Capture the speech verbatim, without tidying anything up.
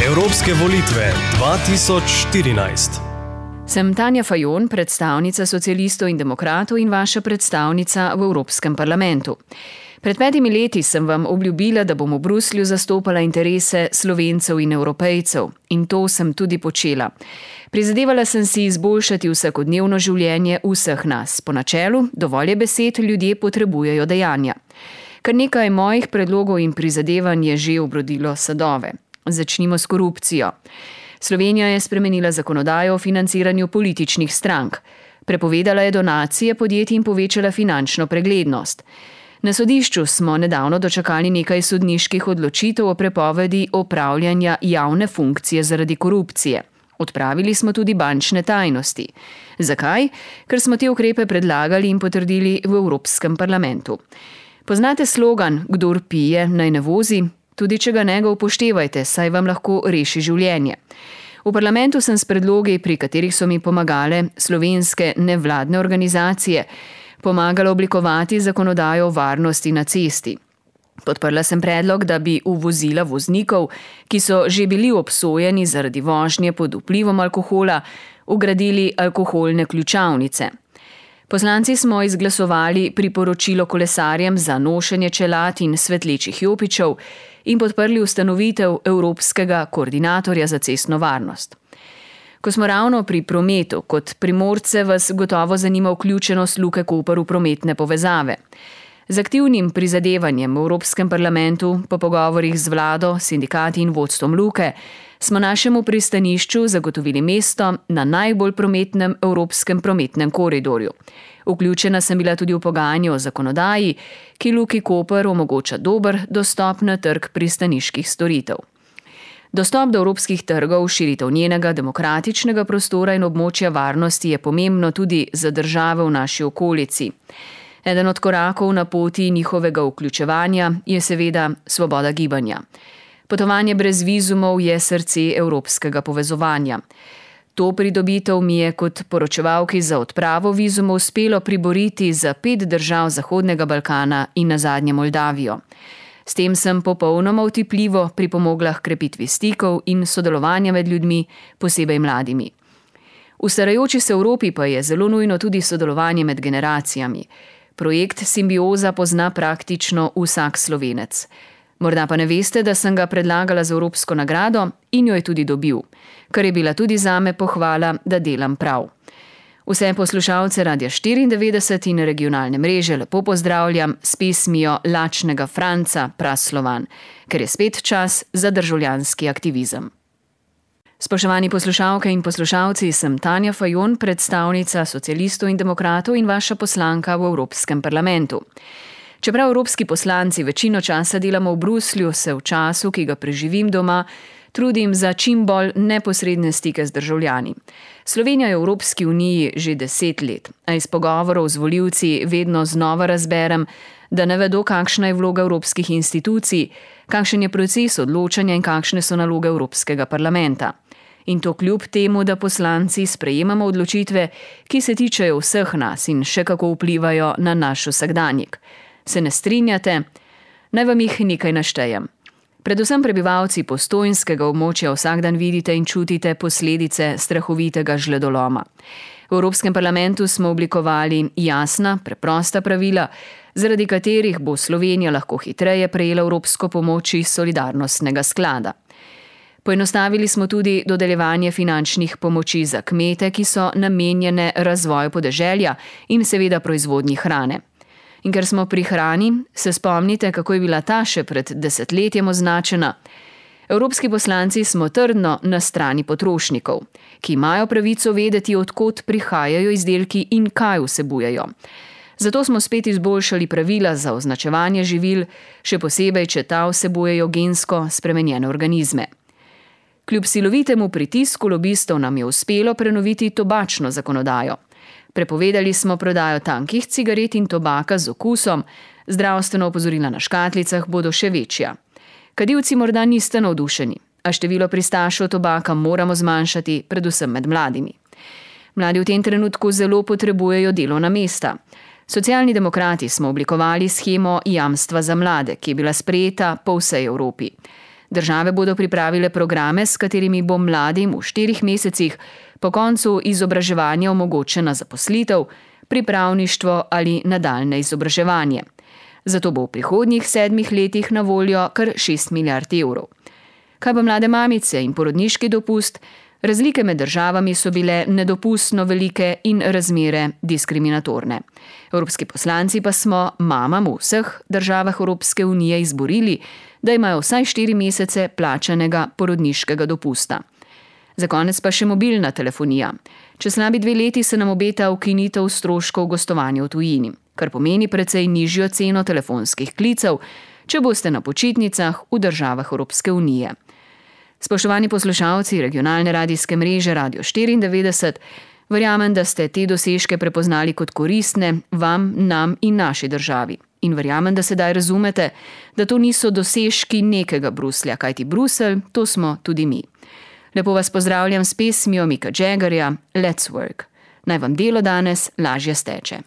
Evropske volitve dva tisoč štirinajst. Sem Tanja Fajon, predstavnica socialistov in demokratov in vaša predstavnica v Evropskem parlamentu. Pred petimi leti sem vam obljubila, da bom v Bruslju zastopala interese Slovencev in Evropejcev. In to sem tudi počela. Prizadevala sem si izboljšati vsakodnevno življenje vseh nas. Po načelu, dovolj je besed, ljudje potrebujejo dejanja. Kar nekaj mojih predlogov in prizadevanj je že obrodilo sadove. Začnimo s korupcijo. Slovenija je spremenila zakonodajo o financiranju političnih strank. Prepovedala je donacije podjetij in povečala finančno preglednost. Na sodišču smo nedavno dočakali nekaj sodniških odločitev o prepovedi opravljanja javne funkcije zaradi korupcije. Odpravili smo tudi bančne tajnosti. Zakaj? Ker smo te ukrepe predlagali in potrdili v Evropskem parlamentu. Poznate slogan, kdor pije, naj ne vozi? Tudi če ga ne ga upoštevajte, saj vam lahko reši življenje. V parlamentu sem s predlogi, pri katerih so mi pomagale slovenske nevladne organizacije, pomagala oblikovati zakonodajo o varnosti na cesti. Podprla sem predlog, da bi v vozila voznikov, ki so že bili obsojeni zaradi vožnje pod vplivom alkohola, vgradili alkoholne ključavnice. Poslanci smo izglasovali priporočilo kolesarjem za nošenje čelad in svetlečih jopičev in podprli ustanovitev Evropskega koordinatorja za cestno varnost. Ko smo ravno pri prometu, kot Primorce vas gotovo zanima vključenost Luke Koper v prometne povezave. Z aktivnim prizadevanjem v Evropskem parlamentu, po pogovorih z vlado, sindikati in vodstvom Luke, smo našemu pristanišču zagotovili mesto na najbolj prometnem evropskem prometnem koridorju. Vključena sem bila tudi v pogajanje o zakonodaji, ki Luki Koper omogoča dober dostop na trg pristaniških storitev. Dostop do evropskih trgov, širitev njenega demokratičnega prostora in območja varnosti je pomembno tudi za države v naši okolici. Eden od korakov na poti njihovega vključevanja je seveda svoboda gibanja. Potovanje brez vizumov je srce evropskega povezovanja. To pridobitev mi je kot poročevalki za odpravo vizumov uspelo priboriti za pet držav Zahodnega Balkana in nazadnje Moldavijo. S tem sem popolnoma utipljivo pripomogla k krepitvi stikov in sodelovanja med ljudmi, posebej mladimi. V starajoči se Evropi pa je zelo nujno tudi sodelovanje med generacijami. Projekt Simbioza pozna praktično vsak Slovenec. Morda pa ne veste, da sem ga predlagala za Evropsko nagrado in jo je tudi dobil, kar je bila tudi zame pohvala, da delam prav. Vse poslušalce Radia štiriindevetdeset in regionalne mreže lepo pozdravljam s pesmijo Lačnega Franca Praslovan, ker je spet čas za državljanski aktivizem. Spoštovani poslušalke in poslušalci, sem Tanja Fajon, predstavnica socialistov in demokratov in vaša poslanka v Evropskem parlamentu. Čeprav evropski poslanci večino časa delamo v Bruslju, se v času, ki ga preživim doma, trudim za čim bolj neposredne stike z državljani. Slovenija je v Evropski uniji že deset let, a iz pogovorov z volivci vedno znova razberem, da ne vedo, kakšna je vloga evropskih institucij, kakšen je proces odločanja in kakšne so naloge Evropskega parlamenta. In to kljub temu, da poslanci sprejemamo odločitve, ki se tičejo vseh nas in še kako vplivajo na naš vsakdanjik. Se ne strinjate? Naj vam jih nekaj naštejem. Predvsem prebivalci Postojnskega območja vsak dan vidite in čutite posledice strahovitega žledoloma. V Evropskem parlamentu smo oblikovali jasna, preprosta pravila, zaradi katerih bo Slovenija lahko hitreje prejela evropsko pomoč iz solidarnostnega sklada. Poenostavili smo tudi dodeljevanje finančnih pomoči za kmete, ki so namenjene razvoju podeželja in seveda proizvodnji hrane. In ker smo pri hrani, se spomnite, kako je bila ta še pred desetletjem označena. Evropski poslanci smo trdno na strani potrošnikov, ki imajo pravico vedeti, od kod prihajajo izdelki in kaj vsebujejo. Zato smo spet izboljšali pravila za označevanje živil, še posebej, če ta vsebujejo gensko spremenjene organizme. Kljub silovitemu pritisku lobistov nam je uspelo prenoviti tobačno zakonodajo. Prepovedali smo prodajo tankih cigaret in tobaka z okusom, zdravstveno opozorila na škatlicah bodo še večja. Kadilci morda niste navdušeni, a število pristašev tobaka moramo zmanjšati, predvsem med mladimi. Mladi v tem trenutku zelo potrebujejo delovna mesta. Socialni demokrati smo oblikovali shemo jamstva za mlade, ki je bila sprejeta po vsej Evropi. Države bodo pripravile programe, s katerimi bo mladim v štirih mesecih po koncu izobraževanja omogočena zaposlitev, pripravništvo ali nadaljne izobraževanje. Zato bo v prihodnjih sedmih letih na voljo kar šest milijard evrov. Kaj pa mlade mamice in porodniški dopust? Razlike med državami so bile nedopustno velike in razmere diskriminatorne. Evropski poslanci pa smo mamam v vseh državah Evropske unije izborili, da imajo vsaj štiri mesece plačanega porodniškega dopusta. Za konec pa še mobilna telefonija. Čez slabi dve leti se nam obeta ukinitev stroškov gostovanja v tujini, kar pomeni precej nižjo ceno telefonskih klicev, če boste na počitnicah v državah Evropske unije. Spoštovani poslušalci regionalne radijske mreže Radio štiriindevetdeset, verjamem, da ste te dosežke prepoznali kot koristne vam, nam in naši državi. In verjamem, da sedaj razumete, da to niso dosežki nekega Bruslja, kajti Bruselj, to smo tudi mi. Lepo vas pozdravljam s pesmijo Micka Jaggerja Let's Work. Naj vam delo danes lažje steče.